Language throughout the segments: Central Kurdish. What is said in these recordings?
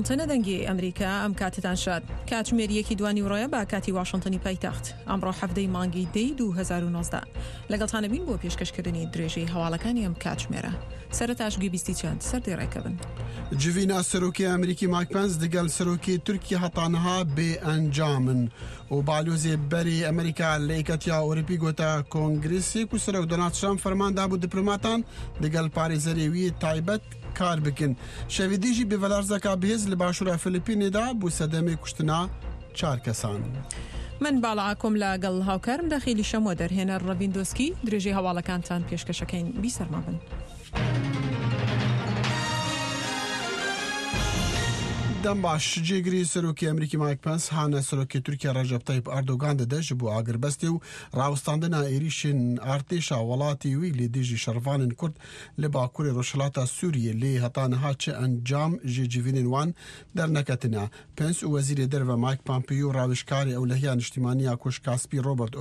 واشنتنە دەنگی ئەمریکا ئەم کاتتان شاد. کاتژمێر یەکی دوانیوڕۆیە بە کاتی واشنتنی پایتەخت. ئەمڕۆ حەڤدەی مانگی دەی 2019. لەگەڵتانە بین بۆ پێشکەشکردنی درێژەی هەواڵەکانی ئەم کاتژمێرە. سەرەتاش گوێبیستی چەند سەردێڕێکە بن. جڤینا سەرۆکی ئەمریکی مایک پنس دگەل سەرۆکی تورکیا هەتا نها بێ ئەنجامن و بالۆزێ بەری ئەمریکا لە یەکەتیا ئەوروپی گۆتە کۆنگرسێک و سەرۆک دۆناڵد ترامپ فەرمان دابوو دیپلۆماتان دگەل پارێزەرێ وی تایبەت کار بکن. شەوی دیژی بێڤەلەرزەکا بهێز لە باشوورا فلیپینێدا بوو سەدەمێ کوشتنا چار کەسان. من باڵا ئاکۆم لە گەڵ هاوکارم دەخیلی شەمۆ دەرهێنەر ڕەڤین دۆسکی درێژەی هەواڵەکانتان پێشکەشەکەین بیسەرمان بن. دەم باش جێگری سەرۆکی ئەمریکی مایک پنس هانە سەرۆکی تورکیا ڕەجەب تەیب ئەردۆگان دەدە ji bo agirbestê û rawestandina êrîşên artêşa welatê wî li dijî şervanên Kurd Li bakurê rojhilata Sûriyê lê heta niha çi encam ji civînên wan derneketine. Pence û Wezîrê Derve Mike Pompeo rawêjkarê Ewlehiya Niştîmanî ya Koşka Spî Robert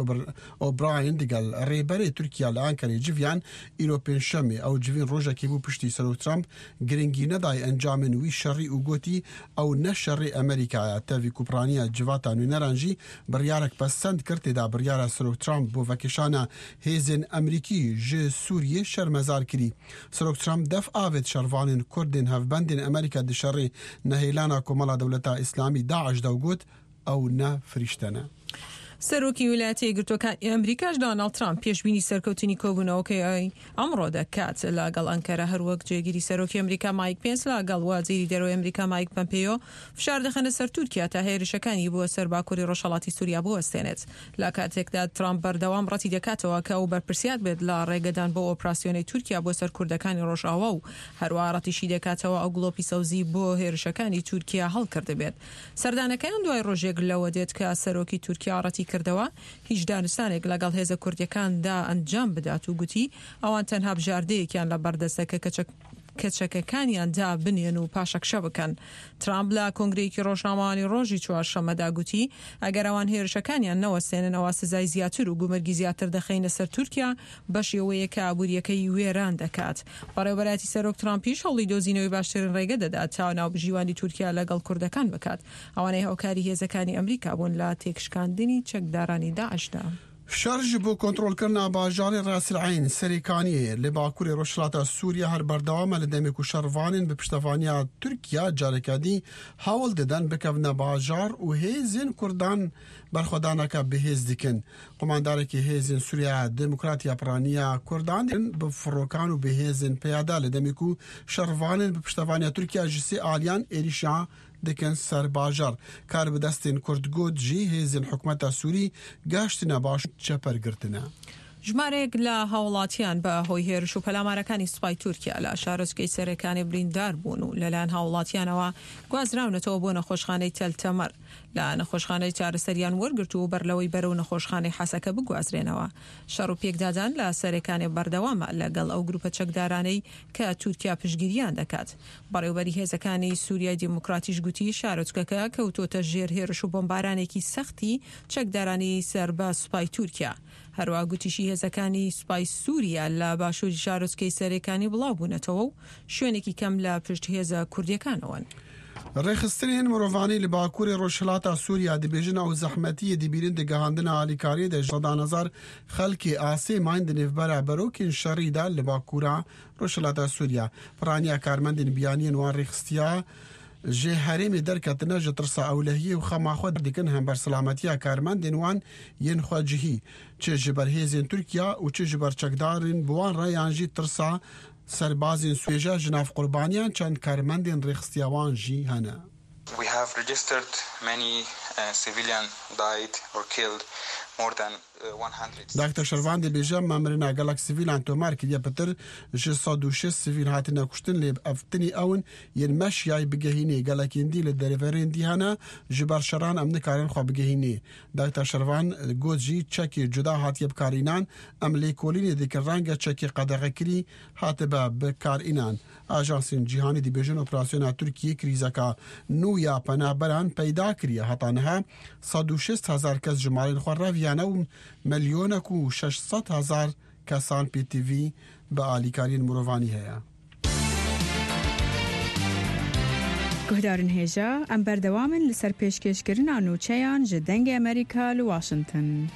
O'Brien digel Rêberê Tirkiya li Enqerê civiyan îro Pêncşemê. Ew civîn rojekê bû piştî Serok Trump giringî nedayê encamên wî şerî û gotî ew ne şerê Amerîka ye. Tevî ku piraniya civata nûneran jî biryarek pesend kir tê de biryara Serok Trump bo vekêşana Hêzên Amerîkî ji Sûriyê şermezar kirî. Serok Trump def avêt şervanên Kurdên hevbendên Amerîka di şerê nehêlana Komela Dewleta Îslamî, daiş, de û got, Ew ne firîşte ne. سەرۆکی ویلایەتە یەکگرتووەکانی ئەمریکاش دۆناڵد ترامپ پێشبینی سەرکەوتنی کۆبوونەوەکەی ئەمڕۆ دەکات لەگەڵ ئەنکەرە، هەروەک جێگیری سەرۆکی ئەمریکا مایک پێنس لەگەڵ وەزیری دەرەوەی ئەمریکا مایک پەمپێیۆ فشار دەخەنە سەر تورکیا تا هێرشەکانی بۆ سەر باکووری ڕۆژهەڵاتی سووریا بوەستێنێت. لە کاتێکدا ترامپ بەردەوام ڕەتی دەکاتەوە کە ئەو بەرپرسیار بێت لە ڕێگەدان بەو ئۆپراسیۆنەی تورکیا بۆ سەر کوردەکانی ڕۆژئاوا و هەروەها ڕەتیشی دەکاتەوە ئەو گڵۆپی سەوزی بۆ هێرشەکانی تورکیا هەڵکردبێت. سەردانەکەیان دوای ڕۆژێک لەوە دێت کە سەرۆکی تورکیا ڕەتی کردەوە هیچ دانوستانێک لەگەڵ هێزە کوردیەکاندا ئەنجام بدات و گوتی ئەوان تەنها بژاردەیەکیان لەبەردەستە کە کە چەکەکانیان دابنێن و پاشەکشە بکەن. ترامپ لە کۆنگرەیەکی ڕۆژنامەوانی ڕۆژی چوارشەممەدا گوتی، ئەگەر ئەوان هێرشەکانیان نەوەستێنن ئەوا سزای زیاتر و گومرگی زیاتر دەخەینە سەر تورکیا بەشێوەیەک کە ئابوورییەکەی وێران دەکات. بەڕێوەبەرایەتی سەرۆک ترامپیش هەوڵی دۆزینەوەی باشترین ڕێگە دەدات تا ناوبژیوانی تورکیا لەگەڵ کوردەکان بکات، ئەوانەی هاوکاری هێزەکانی ئەمریکا بوون لە تێکشکاندنی چەکدارانی داعشدا. شەڕ ji bo kontrolkirina bajarê Ras El Eyn, Serê Kaniyê, li bakurê rojhilata Sûriye her berdewam e li demê ku şervanên bi piştevaniya Tirkiye careke dî hewl didin bikevine bajar û hêzên Kurdan berxwedaneke bihêz dikin. Qumandarekî Hêzên Sûriyeya Demokrat ya piraniya Kurdan bi firokan û bi hêzên peyada li demê ku şervanên bi piştevaniya Tirkiye ji sê aliyan êrîşa dikin ser bajar. Karbidestên Kurd got jî hêzên hikûmeta Sûrî gehiştine baş çeper girtine. ژمارەیەک لە هاوڵاتیان بە هۆی هێرش و پەلامارەکانی سوپای تورکیا لە شارۆچکەی سەرێکانی بریندار بوون و لەلایەن هاوڵاتیانەوە گوازراونەتەوە بۆ نەخۆشخانەی تەل تەمەر لە نەخۆشخانەی چارەسەریان وەرگرتوو و بەرلەوەی بەرەو نەخۆشخانەی حەسەکە بگوازرێنەوە. شەڕ و پێکدادان لە سەرێکانێ بەردەوامە لەگەڵ ئەو گروپە چەکدارانەی کە تورکیا پشتگیریان دەکات. بەڕێوبەری هێزەکانی سوریای دیموکراتیش گوتی شارۆچکەکە کەوتۆتە ژێر هێرش و بۆمبارانێکی سەختی چەکدارانی سەر بە سوپای تورکیا. هەروەها گوتیشی هێزەکانی سوپای سوریا لە باشوری شارۆچکەی سەرێکانی بڵاوبوونەتەوە و شوێنێکی کەم لە پشت هێزە کوردیەکانەوەن. Rêxistinên mirovanî li bakurê rojhilata Sûriya dibêjin ew zehmetiyê dibînin di gihandina alîkariyê de ji sedan hezar xelkê asê mayîn di nêvbera berokên şerî de li bakura Rojhilata Sûriya, piraniya karmendên biyaniyên wan rêxistiya ji herêmê derketine ji tirsa ewlehiyê û xema xwe dikin hember silametiya karmendên wan yên xwecihî, çi ji ber hêzên Tirkiya û çi ji ber çekdarên bi wan re yan jî tirsa serbazên Sûriyê ji nav qurbaniyan çend karmendên rêxistiya wan jî hene. We have registered many civilian died or killed more than 100. Dakter Şervan dibêje, Me mirina gelek sivîlan tomar kiriye pitir ji 106 sivîl hatine kuştin lê ev tinî ew in yên me şiyayî bigehînê gelekên dî li derverên dî hene ji ber şeran em nikarin xwe bigehînê. Dakter Şervan got jî çekê cuda hatiye bikarînan em lêkolînê dikin renge çekê qedexekirî hatibe bikarînan. Ajansên cîhanî dibêjin operasyona Tirkiyê krîzeka nû ya penaberan peyda kiriye. Heta niha 160 hezar kes ji malên xwe reviyane û milyonek û 600 hezar kesan pêtivî bi alîkariyên mirovanî heye. Guhdarên hêja, em berdewam in li ser pêşkêşkirina nûçeyan ji Dengê Amerîka li Washington.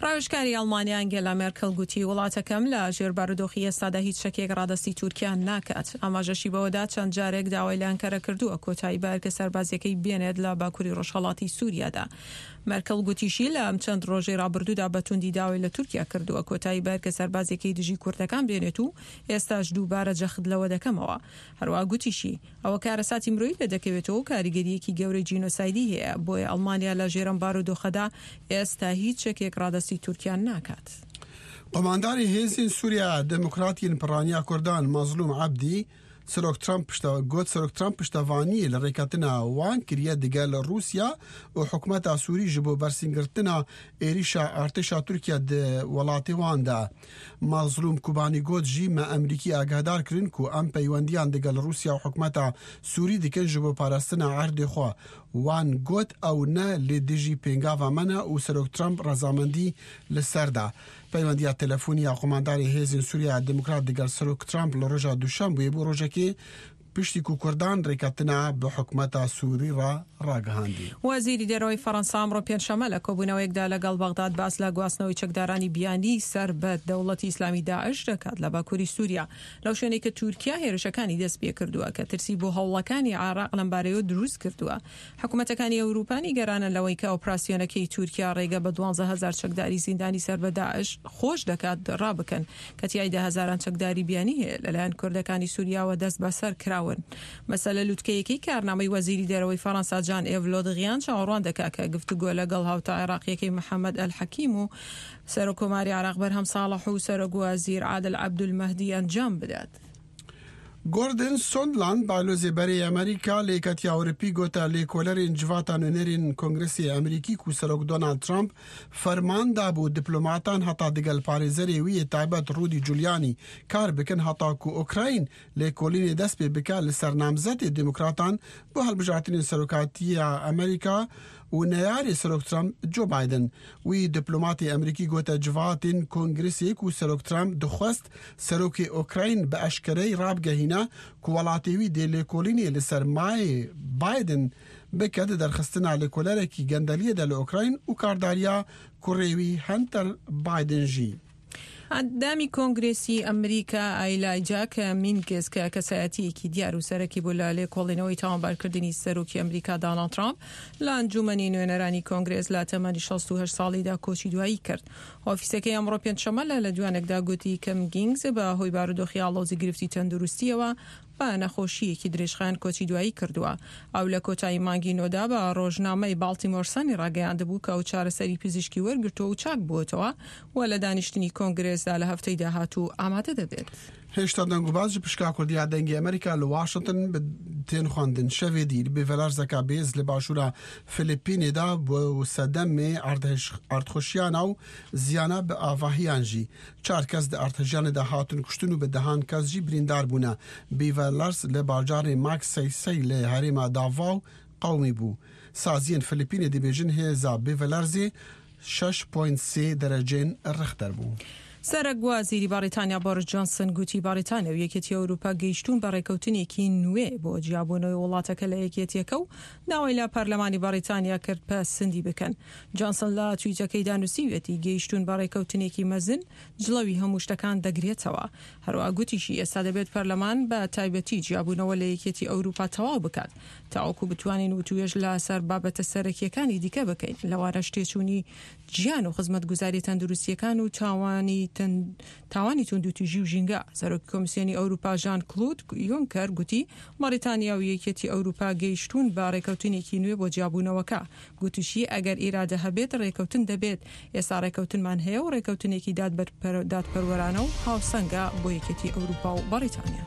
ڕاوێژکاری ئەڵمانیا ئەنگێلا مێرکڵ گوتی، وڵاتەکەم لە ژێر بارودۆخی ئێستادا هیچ چەکێک ڕادەستی تورکیا ناکات. ئاماژەشی بەوەدا چەند جارێک داوای لە ئەنکەرە کردووە کۆتایی بە ئەرکە سەربازییەکەی بێنێت لە باکوری ڕۆژهەڵاتی سوریادا. مێرکڵ گوتیشی، لە ئەم چەند ڕۆژەی ڕابردوودا بە توندی داوای لە تورکیا کردووە کۆتایی بە ئەرکە سەربازییەکەی دژی کوردەکان بێنێت و ئێستاش دووبارە جەخت لەوە دەکەمەوە. هەروەها گوتیشی، ئەوە کارەساتی مرۆیی لێدەکەوێتەوە و کاریگەرییەکی گەورەی جینۆسایدی هەیە، بۆیە ئەڵمانیا لە ژێر ئەم بارودۆخەدا ئێستا هیچ چەکێک ڕادەستی تورکیا ناکات. قومانداری هێزین سووریا دێموکراتین پڕانیا کوردان مەزلووم عەبدی، سەرۆک ترەمپ پشتە گۆت سەرۆک ترەمپ پشتەڤانیی لە ڕێکەتنا وان کریە دگەل ڕووسیا و حکومەتا سووری ژ بۆ بەرسینگرتنا ئێریشا ئارتێشا تورکیا د وەڵاتێ وان دە. مەزلووم کوبانی گۆت ژی مە ئەمریکی ئاگەهدار کرن کو ئەم پەیوەندیان دگەل ڕووسیا و حکومەتا سووری دکن ژ بۆ پاراستنا عەردێ خوە. وان گۆت ئەو نە لی دژی پێنگاڤا مەنە و سەرۆک ترەمپ ڕەزامەندی ل سەر دا. پەیوەندیا تەلەفونی یا قومانداری هێزین سووریا دێموکرات دگەل سەرۆک ترامپ لە ڕۆژا دوشەمبوێ بوو ڕۆژەکێ پشتی کو کوردان ڕێکەتنا بە حکومەتا سووری ڕا ڕاگەهاندی. وەزیری دەرەوەی فەرەنسا ئەمڕۆ پێنجشەممە لە کۆبوونەوەیەکدا لەگەڵ بەغداد باس لە گواستنەوەی چەکدارانی بیانی سەر بە دەوڵەتی ئیسلامی داعش دەکات لە باکووری سووریا لەو شوێنەی کە تورکیا هێرشەکانی دەستپێکردووە کە ترسی بۆ هەوڵەکانی عێراق لەمبارەیەوە دروستکردووە. حکومەتەکانی ئەوروپا نیگەرانن لەوەی کە ئۆپراسیۆنەکەی تورکیا ڕێگە بە 12 هەزار چەکداری زیندانی سەر بە داعش خۆش دەکات ڕابکەن کە تیایدا هەزاران چەکداری بیانی هەیە لەلایەن کوردەکانی سوریاوە دەست بەسەر کراون. مەسەلە لوتکەیەکەی کارنامەی وەزیری دەرەوەی فەرەنسا جان ئێڤ لۆدغیان چاوەڕوان دەکا کە گفتوگۆ لەگەڵ هاوتا عێراقیەکەی محەمەد ئەلحەکیم و سەرۆککۆماری عێراق بەرهەم ساڵح و سەرۆکوەزیر عادل عەبدولمەهدی ئەنجام بدات. گۆردن سۆندلاند بالۆزێ بەرێ ئەمریکا لە یەکەتیا ئەوروپی گۆتە لێکۆلەرێن جڤاتا نوێنەرێن کۆنگرسێ ئەمریکی کو سەرۆک دۆناڵد ترامپ فەرمان دابوو دیپلۆماتان هەتا دگەل پارێزەرێ ویێ تایبەت ڕودی جولیانی کار بکەن هەتا کو ئۆکراین لێکۆلینێ دەست پێ بکە لە سەر نامزەتێ دێموکراتان بۆ هەلبژارتنێن سەرۆکاتییا ئەمریکا و نەیارێ سەرۆک ترامپ جۆ بایدن. وی دیپلۆماتێ ئەمریکی گۆتە جڤاتێن کۆنگرسێ کو سەرۆک ترامپ دخوەست سەرۆکێ ئۆکراین بە ئەشکەرەی ڕابگەهینە کو وەڵاتێ وی دێ لێکۆلینێ لە سەر مایێ بایدن بکە دە دەرخستنا لێکۆلەرەکی گەندەلیێ دە لە ئۆکراین و کارداریا کوڕێ وی هەنتەر بایدن ژی. ئەندامی کۆنگرێسی ئەمریکا ئایلایجا کەمینگز کە کەسایەتییەکی دیار و سەرەکی بوو لە لێکۆڵینەوەی تاوانبارکردنی سەرۆکی ئەمریکا داناڵد ترامپ لە ئەنجوومەنی نوێنەرانی کۆنگرێس لە تەمەنی 68 ساڵیدا کۆچی دوایی کرد. ئۆفیسەکەی ئەمڕۆ پێنجشەممە لە لێدوانێکدا گوتی کەمگینگز بە هۆی بارودۆخی ئاڵۆزی گرفتی تەندروستییەوە بە نەخۆشییەکی درێژخایەن کۆچی دوایی کردووە. ئەو لە کۆتایی مانگی نۆدا بە ڕۆژنامەی باڵتیمۆر سەنی ڕاگەیاندبوو کە ئەو چارەسەری پزیشکی وەرگرتووە و چاک بووەتەوە و لە دانیشتنی کۆنگرێسدا لە هەفتەی داهاتوو ئامادە دەبێت. هێشتا دەنگوباس ji pişka Kurdî ya Dengê Amerîka li Washington bi tên xwendin. Şevê dî li bêvelarzeka bêz li başûra Filipînê de bû sedemê erdxweşiyana û ziyana bi avahiyan jî. Çar kes di erdhejiyanê de hatin kuştin û bi dehan kes jî birîndar bûne. Bêvelers li bajarê Magsaysay li herêma Davao qewimî bû. Saziyên Filipînê dibêjin hêza bêvelerzê 6.3 dereceyên Richter bû. سەرەک وەزیری بەڕیتانیا بۆریس جۆنسن گوتی بەڕیتانیا و یەکێتی ئەوروپا گەیشتوون بە ڕێکەوتنێکی نوێ بۆ جیابوونەوەی وڵاتەکە لە یەکێتیەکە و داوای لە پەرلەمانی بەڕیتانیا کرد پەسندی بکەن. جۆنسن لە تویتەکەیدا نووسیویەتی گەیشتوون بە ڕێکەوتنێکی مەزن جڵەوی هەموو شتەکان دەگرێتەوە. هەروەها گوتیشی ئێستا دەبێت پەرلەمان بە تایبەتی جیابوونەوە لە یەکێتی ئەوروپا تەواو بکات تاوەکو بتوانین وتوێژ لەسەر بابەتە سەرەکییەکانی دیکە بکەین لەوانەش تێچوونی ژیان و خزمەتگوزارییە تەندروستییەکان و تاوانی تاوانی توندوتیژی و ژینگە. سەرۆکی کۆمیسیۆنی ئەوروپا ژان کلود یونکەر گوتی بەڕیتانیا و یەکێتی ئەوروپا گەیشتوون بە ڕێکەوتنێکی نوێ بۆ جیابوونەوەکە. گوتیشی ئەگەر ئیرادە هەبێت ڕێکەوتن دەبێت. ئێستا ڕێکەوتنمان هەیە و ڕێکەوتنێکی دادپەروەرانە و هاوسەنگە بۆ یەکێتی ئەوروپا و بەڕیتانیا.